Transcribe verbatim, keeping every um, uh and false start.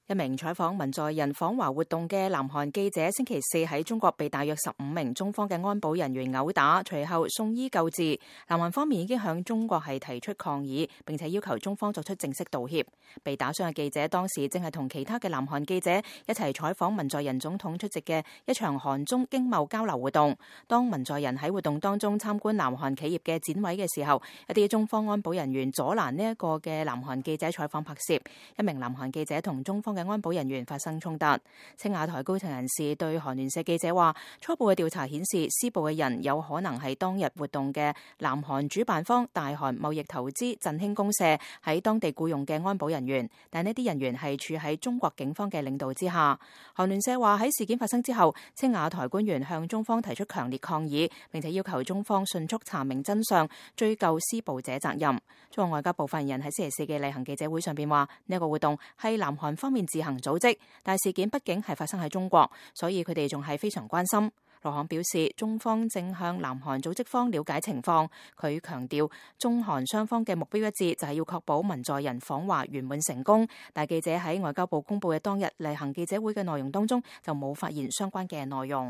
一名採訪文在寅訪華活動嘅南韓記者星期四喺中國被大約十五名中方嘅安保人員毆打，隨後送醫救治。南韓方面已經向中國係提出抗議，並且要求中方作出正式道歉。被打傷嘅記者當時正係同其他嘅南韓記者一齊採訪文在寅總統出席嘅一場韓中經貿交流活動。當文在寅喺活動當中參觀南韓企業嘅展位嘅時候，一啲中方安保人員阻攔呢一個嘅南韓記者採訪拍攝，一名南韓記者同中方嘅安保人員發生衝突。青瓦台高層人士對韓聯社記者話，初步嘅調查顯示，施暴嘅人有可能係當日活動嘅南韓主辦方大韓貿易投資振興公社喺當地僱用嘅安保人員，但呢啲人員係處喺中國警方嘅領導之下。韓聯社話，喺事件發生之後，青瓦台官員向中方提出強烈抗議，並且要求中方迅速查明真相，追究施暴者責任。中國外交部發言人喺星期四嘅例行記者會上邊話，呢一個活動係南韓方面自行組織，但事件畢竟係發生喺中國，所以佢哋仲係非常關心。羅漢表示，中方正向南韓組織方了解情況。佢強調，中韓雙方嘅目標一致，就係要確保文在寅訪華圓滿成功。但記者喺外交部公佈嘅當日例行記者會嘅內容當中，就冇發現相關嘅內容。